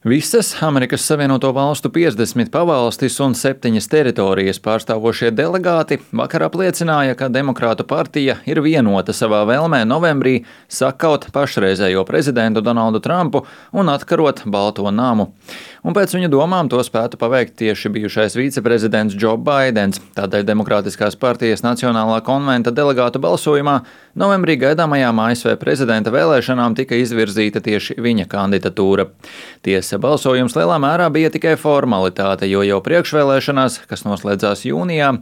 Visas Amerikas Savienoto Valstu 50 pavalstis un 7 teritorijas pārstāvošie delegāti vakar apliecināja, ka Demokrātu partija ir vienota savā vēlmē novembrī sakaut pašreizējo prezidentu Donaldu Trumpu un atkarot Balto namu. Un pēc viņu domām to spētu paveikt tieši bijušais viceprezidents Džo Baidens. Tādēļ Demokrātiskās partijas Nacionālā konventa delegātu balsojumā novembrī gaidāmajām ASV prezidenta vēlēšanām tika izvirzīta tieši viņa kandidatūra. Tiesa, balsojums lielā mērā bija tikai formalitāte, jo jau priekšvēlēšanās, kas noslēdzās jūnijā,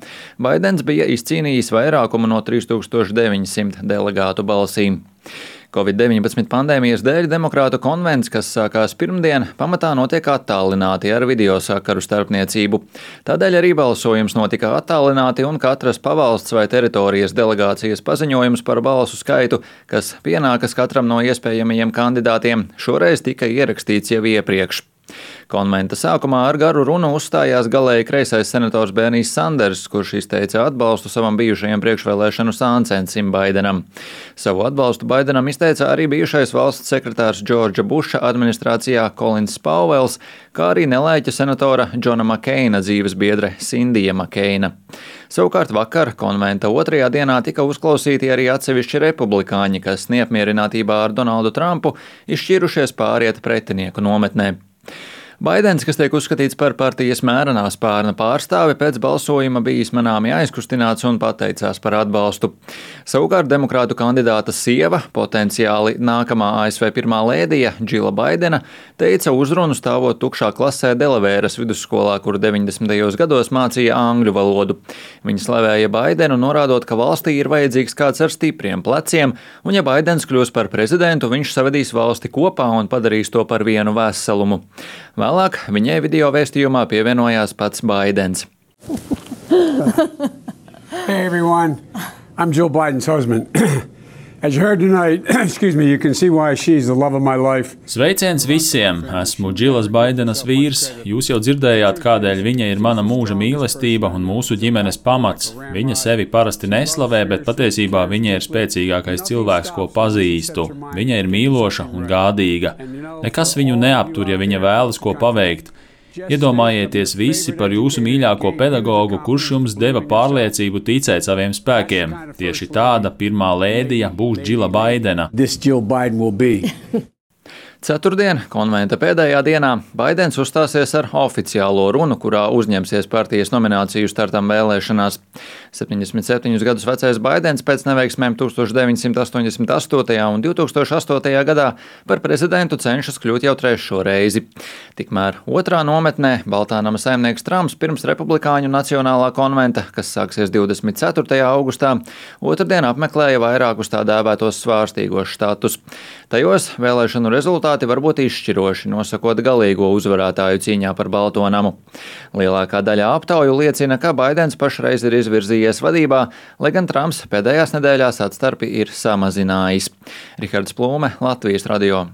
Baidens bija izcīnījis vairākumu no 3900 delegātu balsīm. Covid-19 pandēmijas dēļ Demokrātu konvents, kas sākās pirmdien, pamatā notiek attālināti ar video sakaru starpniecību. Tādēļ arī balsojums notika attālināti un katras pavalsts vai teritorijas delegācijas paziņojums par balsu skaitu, kas pienākas katram no iespējamajiem kandidātiem, šoreiz tika ierakstīts jau iepriekš. Konventa sākumā ar garu runu uzstājās galēji kreisais senators Bernijs Sanders, kurš izteica atbalstu savam bijušajam priekšvēlēšanu sāncensim Baidenam. Savu atbalstu Baidenam izteica arī bijušais valsts sekretārs Džordža Buša administrācijā Kolins Pauvels, kā arī nelaiķa senatora Džona Makeina dzīves biedre Sindija Makeina. Savukārt vakar konventa otrajā dienā tika uzklausīti arī atsevišķi republikāņi, kas neapmierinātībā ar Donaldu Trumpu izšķirušies pāriet pretinieku nometnē. Baidens, kas tiek uzskatīts par partijas mērenā spārna pārstāvi, pēc balsojuma bija izmanāmi aizkustināts un pateicās par atbalstu. Savukārt demokrātu kandidāta sieva, potenciāli nākamā ASV pirmā lēdija Džila Baidena, teica uzrunu stāvot tukšā klasē Delavēras vidusskolā, kur 90. gados mācīja angļu valodu. Viņa slavēja Baidenu, norādot, ka valstī ir vajadzīgs kāds ar stipriem pleciem, un ja Baidens kļūs par prezidentu, viņš savedīs valsti kopā un padarīs to par vienu veselumu. Vēlāk viņai video vēstījumā pievienojās pats Baidens. Hey everyone, I'm Jill Biden's husband. As you heard tonight, you can see why she's the love of my life. Sveiciens visiem! Esmu Džilas Baidenas vīrs. Jūs jau dzirdējāt, kādēļ viņa ir mana mūža mīlestība un mūsu ģimenes pamats. Viņa sevi parasti neslavē, bet patiesībā viņa ir spēcīgākais cilvēks, ko pazīstu. Viņa ir mīloša un gādīga. Nekas viņu neaptur, ja viņa vēlas ko paveikt. Iedomājieties visi par jūsu mīļāko pedagogu, kurš jums deva pārliecību ticēt saviem spēkiem. Tieši tāda pirmā lēdija būs Džila Baidena. Ceturtdien, konventa pēdējā dienā, Baidens uzstāsies ar oficiālo runu, kurā uzņemsies partijas nomināciju startam vēlēšanās. 77 gadus vecais Baidens pēc neveiksmēm 1988. un 2008. gadā par prezidentu cenšas kļūt jau trešo reizi. Tikmēr otrā nometnē Baltā nama saimnieks Trumps pirms republikāņu nacionālā konventa, kas sāksies 24. augustā, otrdien apmeklēja vairākus tā dēvētos svārstīgos štatus. Tajos vēlēšanu rezultāti var būt izšķiroši, nosakot galīgo uzvarētāju cīņā par Balto namu. Lielākā daļa aptauju liecina, ka Baidens pašreiz ir izvirzījies vadībā, lai gan Trumps pēdējās nedēļās atstarpi ir samazinājis. Rihards Plūme, Latvijas radio.